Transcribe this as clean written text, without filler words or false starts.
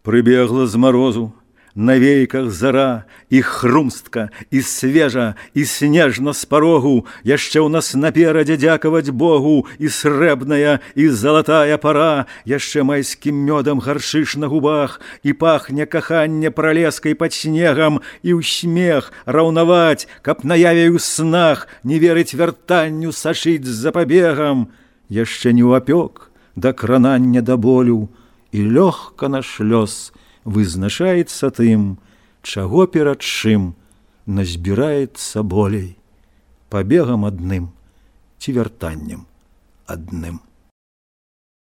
Прыбегла з марозу, на вейках зара, і хрумстка, і свежа, і снежна з парогу, яшчэ ў нас наперадзе дзякаваць Богу, і срэбная, і залатая пара, яшчэ майскім мёдам гаршыш на губах, і пахне каханне пралескай пад снегам, і ў смех раўнаваць, каб наяве ў снах не верыць вяртанню сашыць з запабегам, яшчэ не ўапёк да кранання да болю, і лёгка наш лёс вызначаецца тым, чаго перад чым назбіраецца болей, пабегам адным ці вяртаннем адным.